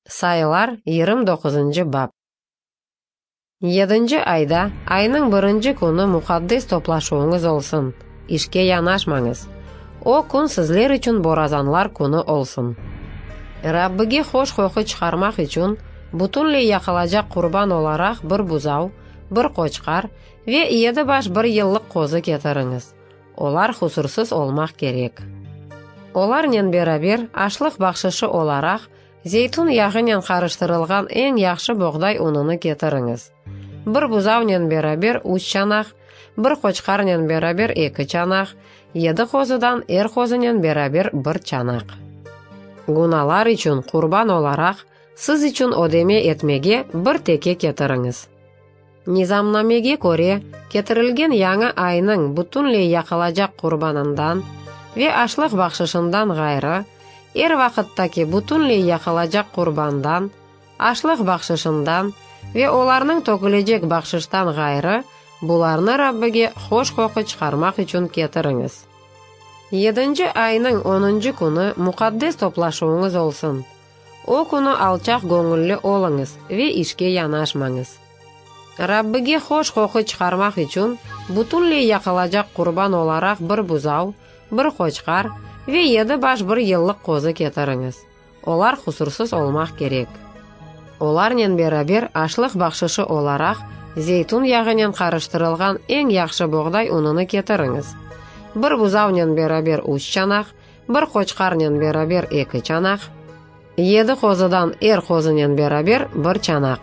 Sayılar, 29 bap. Yedinci ayda, aynıñ birinci künü muqaddes toplaşuvıñız olsun, işke yanaşmañız. O kün sizler içün borazanlar künü olsun. Rabbige hoş qoqu çıqarmaq içün, bütünley yaqılacaq qurban olaraq bir buzav, bir qoçqar ve yedi baş bir yıllıq qozu ketiriñiz. Olar husursız olmaq kerek. Olarnen beraber aşlıq bahşışı olaraq zeytün yağınen qarıştırılğan eñ yahşı boğday ununı ketiriñiz. Bir buzavnen beraber üç çanaq, bir qoçqarnen beraber eki çanaq, yedi qozudan er qozunen beraber bir çanaq. Günalar içün qurban olaraq siz içün ödeme etmege bir teke ketiriñiz. Nizamnamege köre, ketirilgen yañı aynıñ bütünley yaqılacaq qurbanından ve aşlıq bahşışından ğayrı, er vaqıttaki bütünley yaqılacaq qurbandan, aşlıq bahşışından ve olarnıñ tökülecek bahşıştan ğayrı, bularnı Rabbige hoş qoqu çıqarmaq içün ketiriñiz. Yedinci aynıñ onuncı künü muqaddes toplaşuvıñız olsun. O künü alçaq göñülli oluñız ve işke yanaşmañız. Rabbige hoş qoqu çıqarmaq içün bütünley yaqılacaq qurban olaraq bir buzav, bir qoçqar ve yedi baş bir yıllıq qozu ketiriñiz. Olar husursız olmaq kerek. Olarnen beraber aşlıq bahşışı olaraq zeytün yağınen qarıştırılğan eñ yahşı boğday ununı ketiriñiz. Bir buzavnen beraber üç çanaq, Bir qoçqarnen beraber eki çanaq, yedi qozudan er qozunen beraber bir çanaq.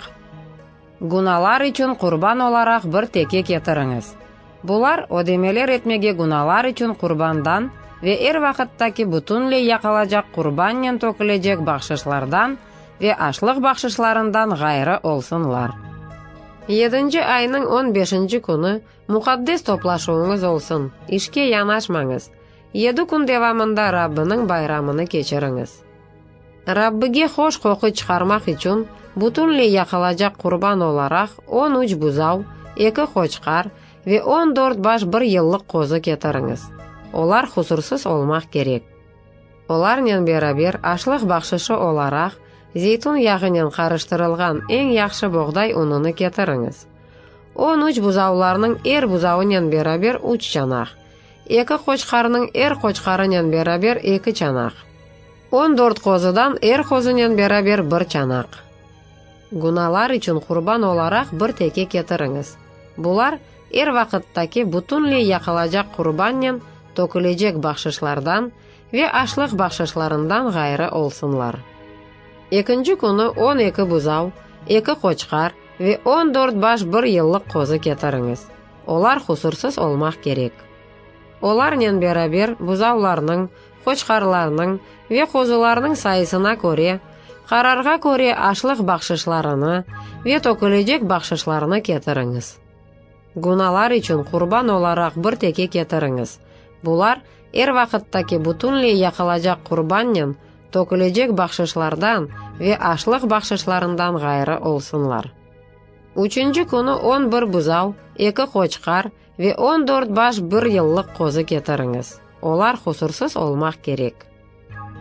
Günalar içün qurban olaraq bir teke ketiriñiz. Bular, ödemeler etmege günalar içün qurbandan ve er vaqıttaki bütünley yaqılacaq qurbannen tökülecek bahşışlardan ve aşlıq bahşışlarından ğayrı olsunlar. Yedinci aynıñ on beşinci künü muqaddes toplaşuvıñız olsun, işke yanaşmañız, Yedi kün devamında Rabbiniñ bayramını keçiriñiz. Rabbige hoş qoqu çıqarmaq içün, bütünley yaqılacaq qurban olaraq 13 buzav, eki qoçqar ve 14 baş bir yıllıq qozu ketiriñiz. Olar husursız olmaq kerek. Olarnen beraber aşlıq bahşışı olaraq zeytün yağınen qarıştırılğan eñ yahşı boğday ununı ketiriñiz. 13 buzavlarnıñ er buzavınen beraber üç çanaq, Eki qoçqarnıñ er qoçqarınen beraber eki çanaq. 14 qozudan er qozunen beraber bir çanaq. Günalar içün qurban olaraq bir teke ketiriñiz. Bular, er vaqıttaki bütünley yaqılacaq qurbannen tökülecek bahşışlardan ve aşlıq bahşışlarından ğayrı olsunlar. Ekinci künü 12 buzav, eki qoçqar ve 14 baş bir yıllıq qozu ketiriñiz. Olar husursız olmaq kerek. Olarnen beraber buzavlarnıñ, qoçqarlarnıñ ve qozularnıñ sayısına köre, qararğa köre aşlıq bahşışlarını ve tökülecek bahşışlarnı ketiriñiz. Günalar içün qurban olaraq bir teke ketiriñiz. Bular, er vaqıttaki bütünley yaqılacaq qurbannen tökülecek bahşışlardan ve aşlıq bahşışlarından ğayrı olsunlar. Üçünci künü 11 buzav, eki qoçqar ve 14 baş bir yıllıq qozu ketiriñiz. Olar husursız olmaq kerek.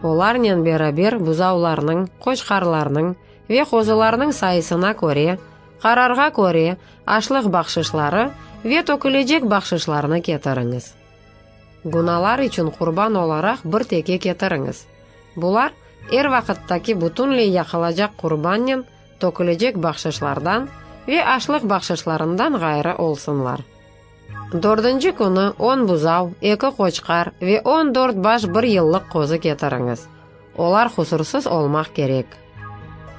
Olarnen beraber buzavlarnıñ, qoçqarlarnıñ ve qozularnıñ sayısına köre, qararğa köre aşlıq bahşışları ve tökülecek bahşışlarnı ketiriñiz. Günalar içün qurban olaraq bir teke ketiriñiz. Bular, er vaqıttaki bütünley yaqılacaq qurbannen tökülecek bahşışlardan ve aşlıq bahşışlarından ğayrı olsunlar. Dördünci künü 10 buzav, eki qoçqar ve 14 baş bir yıllıq qozu ketiriñiz. Olar husursız olmaq kerek.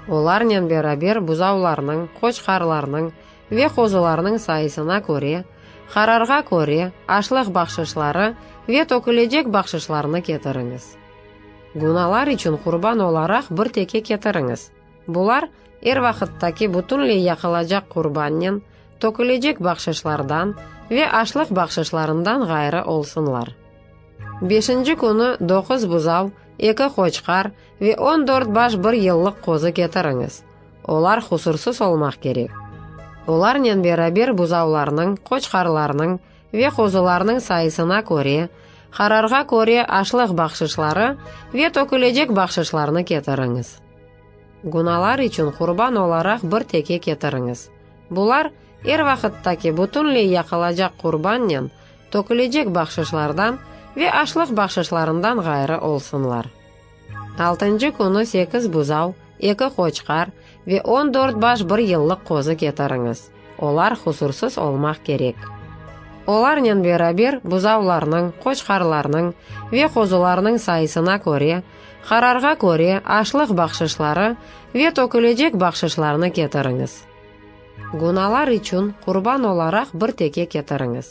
Olarnen beraber buzavlarnıñ, qoçqarlarnıñ ve qozularnıñ sayısına köre, qararğa köre aşlıq bahşışları ve tökülecek bahşışlarnı ketiriñiz. Günalar içün qurban olaraq bir teke ketiriñiz. Bular, er vaqıttaki bütünley yaqılacaq qurbannen, tökülecek bahşışlardan ve aşlıq bahşışlarından ğayrı olsunlar. Beşinci künü doquz buzav, eki qoçqar ve 14 baş bir yıllıq qozu ketiriñiz. Olar husursız olmaq kerek. Olarnen beraber buzavlarnıñ, qoçqarlarnıñ ve qozularnıñ sayısına köre, qararğa köre aşlıq bahşışları ve tökülecek bahşışlarnı ketiriñiz. Günalar içün qurban olaraq bir teke ketiriñiz. Bular, er vaqıttaki bütünley yaqılacaq qurbannen, tökülecek bahşışlardan ve aşlıq bahşışlarından ğayrı olsunlar. Altıncı künü sekiz buzav, eki qoçqar ve 14 baş bir yıllıq qozı ketiriñiz. Olar husursız olmaq kerek. Olarnen beraber buzavlarnıñ, qoçqarlarnıñ ve qozularnıñ sayısına köre, qararğa köre aşlıq bahşışları ve tökülecek bahşışlarnı ketiriñiz. Günalar içün qurban olaraq bir teke ketiriñiz.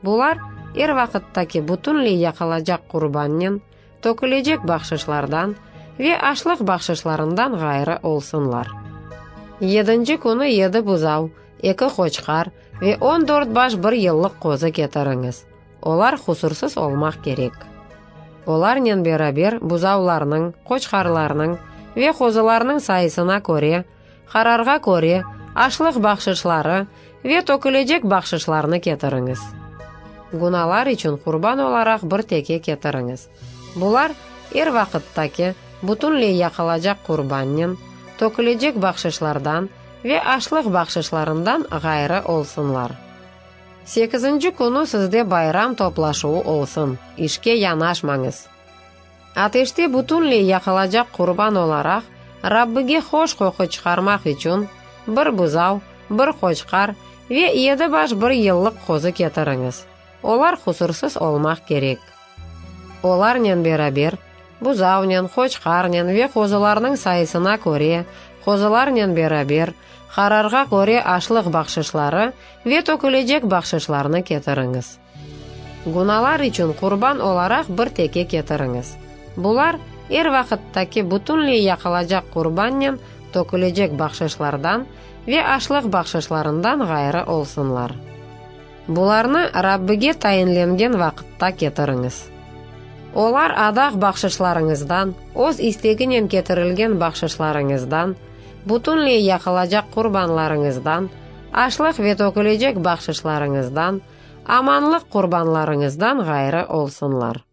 Bular, er vaqıttaki bütünley yaqılacaq qurbannen, tökülecek bahşışlardan ve aşlıq bahşışlarından ğayrı olsunlar. Yedinci künü yedi buzav, eki qoçqar ve 14 baş bir yıllıq qozı ketiriñiz. Olar husursız olmaq kerek. Olarnen beraber buzavlarnıñ, qoçqarlarnıñ ve qozularnıñ sayısına köre, qararğa köre aşlıq bahşışları ve tökülecek bahşışlarnı ketiriñiz. Günalar içün qurban olaraq bir teke ketiriñiz. Bular, er vaqıttaki, bütünley yaqılacaq qurbannen, tökülecek bahşışlardan ve aşlıq bahşışlarından ğayrı olsunlar. Sekizinci künü sizde bayram toplaşuvı olsun, işke yanaşmañız. Ateşte bütünley yaqılacaq qurban olaraq, Rabbige hoş qoqu çıqarmaq içün, bir buzav, bir qoçqar ve yedi baş bir yıllıq qozı ketiriñiz. Olar husursız olmaq kerek. Olarnen beraber, buzavnen, qoçqarnen ve qozularnıñ sayısına köre, qozularnen beraber, qararğa köre aşlıq bahşışları ve tökülecek bahşışlarnı ketiriñiz. Günalar içün qurban olaraq bir teke ketiriñiz. Bular, er vaqıttaki bütünley yaqılacaq qurbannen tökülecek bahşışlardan ve aşlıq bahşışlarından ğayrı olsunlar. Bularnı Rabbige tayinlengen vaqıtta ketiriñiz. Olar adaq bahşışlarıñızdan, öz isteginen ketirilgen bahşışlarıñızdan, bütünley yaqılacaq qurbanlarıñızdan, aşlıq ve tökülecek bahşışlarıñızdan, amanlıq qurbanlarıñızdan ğayrı olsunlar.